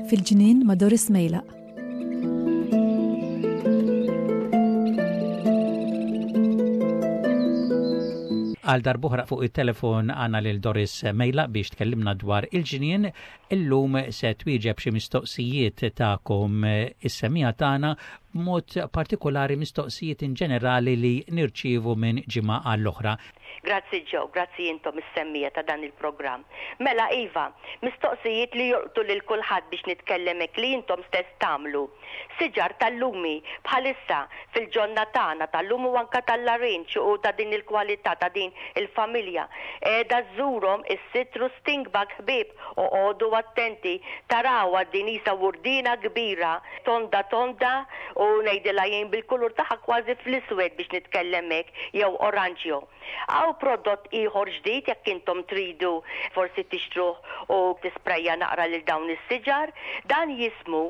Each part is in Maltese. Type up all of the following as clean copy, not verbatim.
Fil-ġnien ma' Doris Mejlaq. Għal darbuħra fuq it-telefon għana lil Doris Mejla biex tkellimna dwar il-ġnien. Illum se twieġeb xi mistoqsijiet tagħkom is-semija tagħna b'mod partikolari mistoqsijiet in ġenerali li nirċievu minn ġimgħa għall-oħra. Grazzi Joe, grazzi intom is-semmiegħa ta' dan il-programm. Mela iva, mistoqsijiet li jolqtu lil kulħadd biex nitkellem hekk li intom stess tagħmlu. Siġar tal-lumi bħalissa fil-ġonna tagħna tal-lum u anke tal-larinġ u ta' din il-kwalità ta' din il-familja qiegħda żżurhom is-citrus stink bug ħbieb oqogħdu attenti tarawha din qisha wurdina kbira tonda tonda u ngħidilha jien bil-kulur tagħha kważi fl-iswed biex nitkellem hekk jew oranġjo. Hawn prodott ieħor ġdid jekk intom tridu forsi tixtruh u tisprejja naqra lil dawn is-siġar. Dan jismu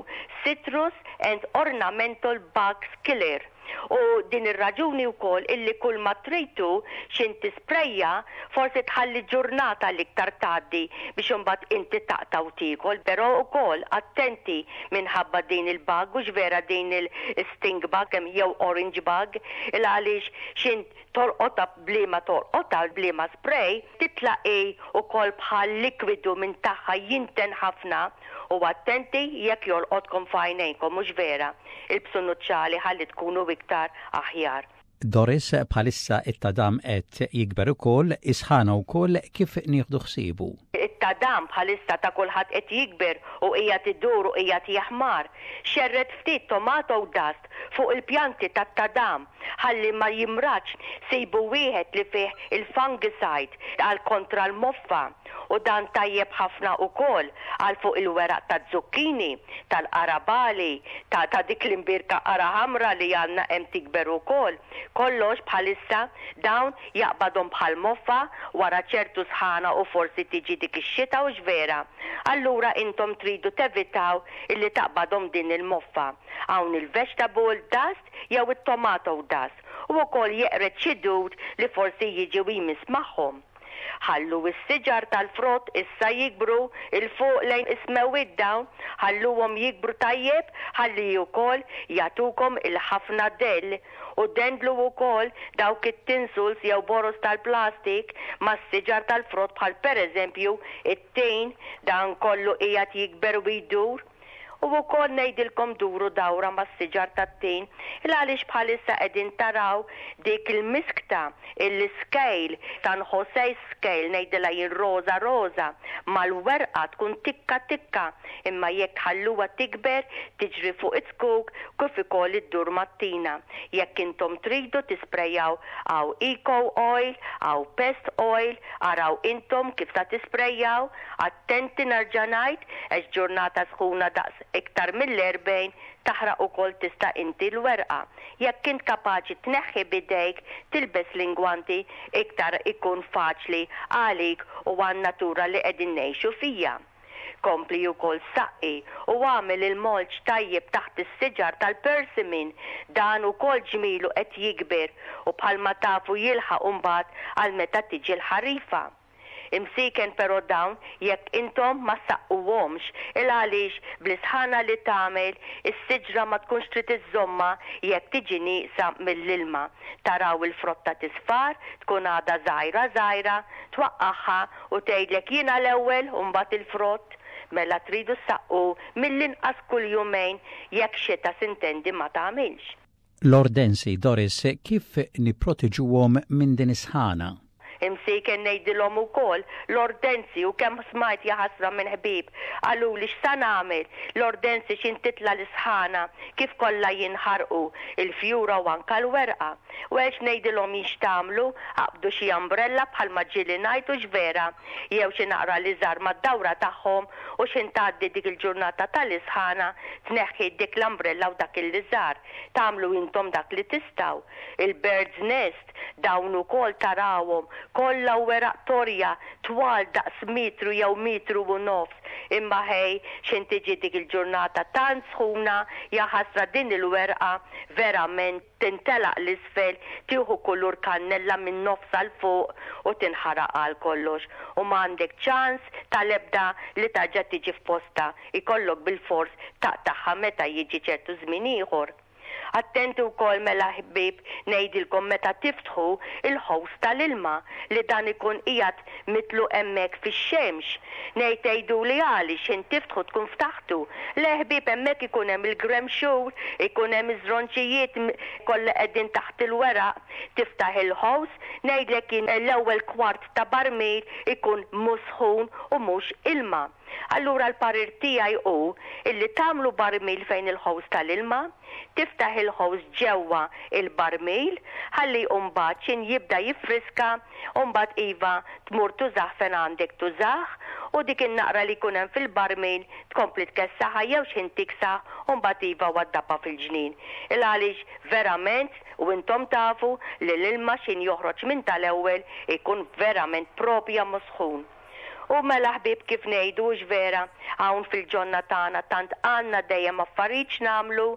Citrus and Ornamental Bugs Killer. U din ir-raġuni wkoll illi kull ma trid hu x'int tisprejja forsi tħalli ġurnata l-iktar tgħaddi biex imbagħad inti taqta' u tiekol però wkoll attenti minħabba din il-bug hux vera din il-stink bug jew orange bug il għaliex x'int tolqotha b'liema tolqotha b'liema spray titla' hi wkoll bħal likwidu minn tagħha jinten ħafna u attenti jekk jolqotkom f'għajnejnkom mhux vera ilbsu nuċċali ħalli tkunu iktar aħjar. Doris, bħalissa it-tadam qed jikber ukoll, is-sħana wkoll, kif nieħdu ħsiebu? It-tadam bħalissa ta' kulħadd qed jikber u qiegħed idur u qiegħed jeħmar. Xerred ftit tomato dust fuq il-pjanti tat-tadam ħalli ma jimradx, sibu wieħed li fih il-fungicide għal kontra l-moffa u dan tajjeb ħafna ukoll għal fuq il-weraq taz-zucchini, tal-qarabagħli, ta' ta' dik l-imbierka qara ħamra li għandna hemm tikber ukoll. Kollox bħalissa dawn jaqbadhom bħal moffa wara ċertu sħana u forsi tiġi dik ix-xita hux vera? Allura intom tridu tevitaw illi taqbadhom din il-moffa. Hawn il-vegetable dust jew it-tomato dust u wkoll jeqred xi dud li forsi jiġi u jmiss magħhom. Ħallu s-siġar tal-frott issa jikbru 'l fuq lejn is-smewwiet dawn, ħalluhom jikbru tajjeb ħalli wkoll jagħtukom il-ħafna dell u dendlu wkoll dawk it-tinsels jew boroż tal-plastik mas-siġar tal-frott bħal pereżempju t-tin, dan kollu qiegħed jikber u jdur. U wkoll ngħidilkom duru dawra mas-siġar tat-tin, il-għaliex bħalissa qegħdin taraw dik il-miskta, il-scale, San Jose scale ngħidilha jien roża roża, mal-werqa tkun tikka tikka, imma jekk tħalluha tikber tiġri fuq iz-zkuk kif ukoll iddur mat-tina. Jekk intom tridu tisprejjaw hawn eco oil, hawn pest oil, araw intom kif sa tisprejjaw, Attenti nerġa' ngħid għax ġurnata sħuna daqs iktar mill-40 taħraq ukoll tista' inti l-werqa. Jekk int kapaċi tneħħi b'idejk tilbes l-ingwanti iktar ikun faċli għalik u għan-natura li qegħdin ngħixu fija. Kompli ukoll saqqi u agħmel il-mulch tajjeb taħt is-siġar tal-persimmon dan ukoll ġmielu qed jikber u bħalma tafu jilħaq imbagħad għal meta tiġi l-ħarifa. Imsieken pero dawn jekk intom ma ssaqquhomx il għaliex bl-isħana li tagħmel is-siġra ma tkunx trid iżżommha jekk tiġi nieqsa mill-ilma. Taraw il-frotta tisfar, tkun għadha żgħira żgħira, twaqqagħha u tgħidlek jiena l-ewwel u mbagħad il-frott. Mela tridu ssaqqu mill-inqas kull jumejn jekk xita sintendi ma tagħmilx. L-ordensi, Doris, kif nipproteġuhom minn din is-sħana? Imsieken ngħidilhom ukoll, l-ordensi u kemm smajt jaħasra minn ħbieb, qaluli x'sa nagħmel, l-ordensi x'in titla' l-isħana kif kollha jinħarqu, il-fjura u anka l-werqa. Well x'ngħidilhom jien x'tagħmlu, aqbdu xi umbrella bħalma ġieli ngħid hux vera, jew xi naqra liżar mad-dawra tagħhom u x'ħin tgħaddi dik il-ġurnata tal-isħana tneħħi dik l-umbrella u dak il-liżar. Tagħmlu intom dak li tistgħu. Il-bird's nest, dawn ukoll tarawhom. kollha weraq torja twal daqs metru jew metru u nofs. Imma ħej, x'ħin tiġi dik il-ġurnata tant sħuna, jaħasra din il-werqa verament tintelaq 'l isfel, tieħu kulur kannella minn nofsha 'l fuq u tinħaraq għal kollox u m'għandek ċans tal-ebda li tarġa' tiġi f'postha, ikollok bilfors taqtagħha meta jiġi ċertu żmien ieħor. Attenti wkoll mela ħbieb ngħidilkom meta tiftħu il-hose tal-ilma li dan ikun qiegħed mitluq hemmhekk fix-xemx. Ngħid tgħiduli għaliex x'ħin tiftħu tkun ftaħtu. Le ħbieb hemmhekk ikun hemm il-gremxul, ikun hemm iż-żronċijiet kollha qegħdin taħt il-weraq. Tiftaħ il-hose, ngħidlek jien l-ewwel kwart ta' barmil ikun musħun u mhux ilma. Allura l-parir tiegħi hu illi tagħmlu barmil fejn il-hose tal-ilma, tiftaħ il-hose ġewwa il-barmil ħalli mbagħad x'in jibda jiffriska mbagħad iva tmur tużah fejn għandek tużah u dik in-naqra li jkun hemm fil-barmil tkompli tkessaħha jew x'ħin tiksaħ u mbagħad iva waddabha fil-ġnien. Il għaliex verament u intom tafu li l-ilma x'ħin joħroġ minn tal-ewwel ikun verament propja musħun. U mela ħbieb kif ngħidu hux vera, hawn fil-ġonna tagħna tant għandna dejjem affarijiet x'nagħmlu,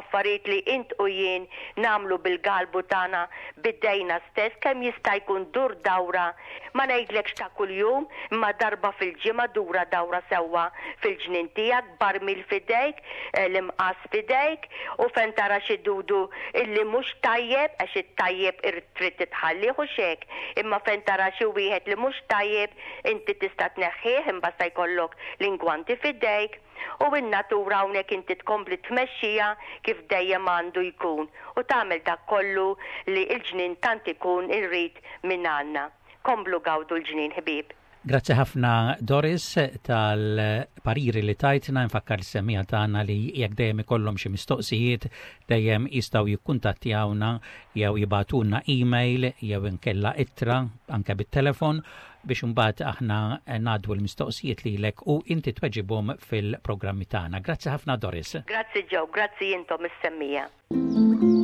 affarijiet li int u jien nagħmlu bil-galbu tagħna b'idejna stess kemm jista' jkun dur dawra, ma ngħidlekx ta' kuljum, imma darba fil-ġimgħa dura dawra sewwa fil-ġnien tiegħek b'barmil f'idejk, l-imqass f'idejk u fejn tara xi dudu illi mhux tajjeb għax it-tajjeb trid titħallih hux hekk, imma fejn tara xi wieħed li mhux tajjeb inti tista' tneħħih imbagħad sa jkollok l-ingwanti f'idejk u n-natura hawnhekk inti tkompli tmexxiha kif dejjem għandu jkun u tagħmel dak kollu li l-ġnien tant ikun irid mingħandna. Komplu gawdu l-ġnien ħbieb. Grazzi ħafna Doris tal-pariri li tajtna, nfakkar l-semmiegħa tagħna li jekk dejjem ikollhom xi mistoqsijiet dejjem jistgħu jikkuntattjawna jew jibagħtulna email jew inkella ittra anke bit-telefon biex imbagħad aħna ngħaddu l-mistoqsijiet lilek u inti tweġibhom fil-programmi tagħna. Grazzi ħafna Doris. Grazzi Joe, grazzi intom is-semmiegħa.